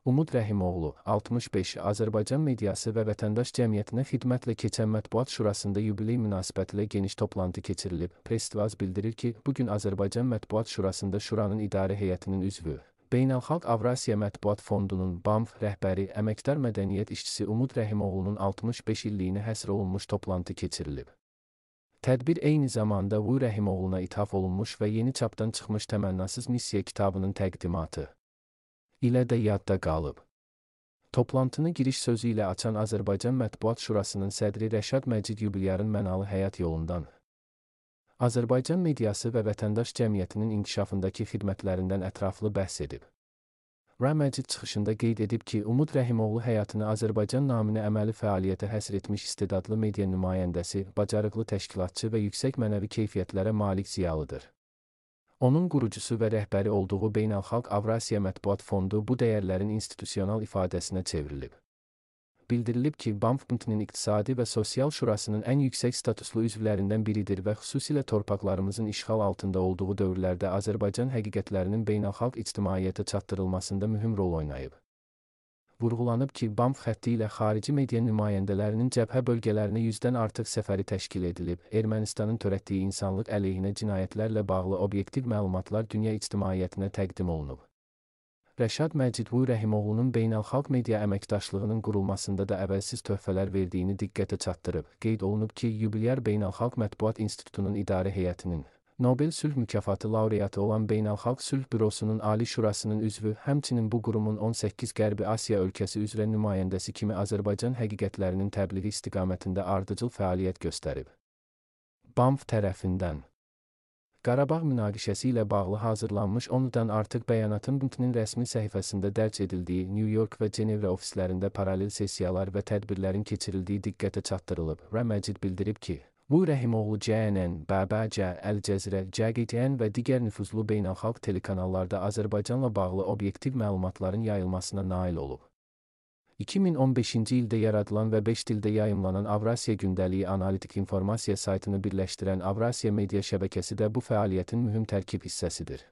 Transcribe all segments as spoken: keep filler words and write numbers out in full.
Umud Rəhimoğlu, altmış beş, Azərbaycan mediası və vətəndaş cəmiyyətinə xidmətlə keçən Mətbuat Şurasında yubiley münasibətilə geniş toplantı keçirilib. Press-Tvaz bildirir ki, bugün Azərbaycan Mətbuat Şurasında Şuranın idarə heyətinin üzvü, Beynəlxalq Avrasiya Mətbuat Fondunun B A M F rəhbəri, əməkdar mədəniyyət işçisi Umud Rəhimoğlunun altmış beş illiyinə həsr olunmuş toplantı keçirilib. Tədbir eyni zamanda Vu Rəhimoğluna ithaf olunmuş və yeni çapdan çıxmış Təmənnasız Missiya kitabının təqdimatı ilə də yadda qalıb. Toplantını giriş sözü ilə açan Azərbaycan Mətbuat Şurasının sədri Rəşad Məcid yubilyarın mənalı həyat yolundan, Azərbaycan mediası və vətəndaş cəmiyyətinin inkişafındakı xidmətlərindən ətraflı bəhs edib. Rə Məcid çıxışında qeyd edib ki, Umud Rəhimoğlu həyatını Azərbaycan naminə əməli fəaliyyətə həsr etmiş istedadlı media nümayəndəsi, bacarıqlı təşkilatçı və yüksək mənəvi keyfiyyətlərə malik ziyalıdır. Onun qurucusu və rəhbəri olduğu Beynəlxalq Avrasiya Mətbuat Fondu bu dəyərlərin institusional ifadəsinə çevrilib. Bildirilib ki, B A M F-nin iqtisadi və sosial şurasının ən yüksək statuslu üzvlərindən biridir və xüsusilə torpaqlarımızın işğal altında olduğu dövrlərdə Azərbaycan həqiqətlərinin beynəlxalq ictimaiyyətə çatdırılmasında mühüm rol oynayıb. Vurğulanıb ki, B A M F xətti ilə xarici media nümayəndələrinin cəbhə bölgələrinə yüzdən artıq səfəri təşkil edilib, Ermənistanın törətdiyi insanlıq əleyhinə cinayətlərlə bağlı obyektiv məlumatlar dünya ictimaiyyətinə təqdim olunub. Rəşad Məcid Vu Rəhimoğlunun beynəlxalq media əməkdaşlığının qurulmasında da əvəzsiz töhfələr verdiyini diqqətə çatdırıb. Qeyd olunub ki, yubilyar Beynəlxalq Mətbuat İnstitutunun idarə heyətinin Nobel Sülh mükafatı laureatı olan Beynəlxalq Sülh Bürosunun Ali Şurasının üzvü, həmçinin bu qurumun on səkkiz Qərbi Asiya ölkəsi üzrə nümayəndəsi kimi Azərbaycan həqiqətlərinin təbliği istiqamətində ardıcıl fəaliyyət göstərib. B A M F tərəfindən Qarabağ münaqişəsi ilə bağlı hazırlanmış ondan artıq bəyanatın B M F-nin rəsmi səhifəsində dərc edildiyi New York və Cenevra ofislərində paralel sessiyalar və tədbirlərin keçirildiyi diqqətə çatdırılıb. Rə Məcid bildirib ki, Vu Rəhimoğlu C N N, B B C, Əl Cəzirə, C G T N və digər nüfuzlu beynəlxalq telekanallarda Azərbaycanla bağlı obyektiv məlumatların yayılmasına nail olub. iki min on beşinci ildə yaradılan və beş dildə yayımlanan Avrasiya Gündəliyi analitik informasiya saytını birləşdirən Avrasiya Media şəbəkəsi də bu fəaliyyətin mühüm tərkib hissəsidir.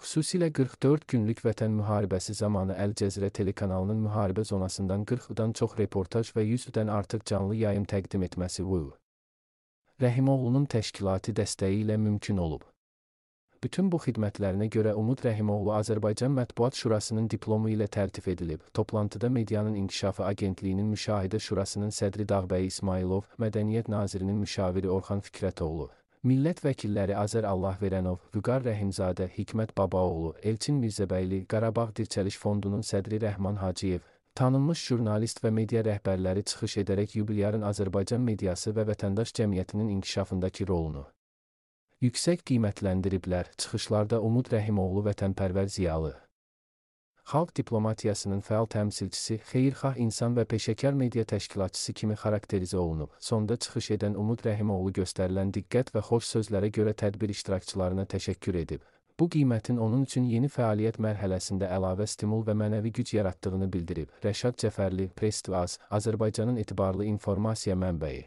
Xüsusilə qırx dörd günlük vətən müharibəsi zamanı Əl Cəzirə telekanalının müharibə zonasından qırxdan çox reportaj və yüzdən artıq canlı yayım təqdim etməsi Vu Rəhimoğlunun təşkilati dəstəyi ilə mümkün olub. Bütün bu xidmətlərinə görə Umud Rəhimoğlu Azərbaycan Mətbuat Şurasının diplomu ilə təltif edilib. Toplantıda Medianın İnkişafı Agentliyinin Müşahidə Şurasının sədri Dağbəy İsmailov, Mədəniyyət Nazirinin müşaviri Orxan Fikrətoğlu, millət vəkilləri Azər Allahverənov, Vüqar Rəhimzadə, Hikmət Babaoğlu, Elçin Mirzəbəyli, Qarabağ Dirçəliş Fondunun sədri Rəhman Hacıyev, tanınmış jurnalist və media rəhbərləri çıxış edərək yubilyarın Azərbaycan mediası və vətəndaş cəmiyyətinin inkişafındakı rolunu yüksək qiymətləndiriblər. Çıxışlarda Umud Rəhimoğlu vətənpərvər ziyalı, xalq diplomatiyasının fəal təmsilçisi, xeyirxah insan və peşəkar media təşkilatçısı kimi xarakterizə olunub. Sonda çıxış edən Umud Rəhimoğlu göstərilən diqqət və xoş sözlərə görə tədbir iştirakçılarına təşəkkür edib. Bu qiymətin onun üçün yeni fəaliyyət mərhələsində əlavə stimul və mənəvi güc yaratdığını bildirib. Rəşad Cəfərli, Press-Tvaz, Azərbaycanın etibarlı informasiya mənbəyi.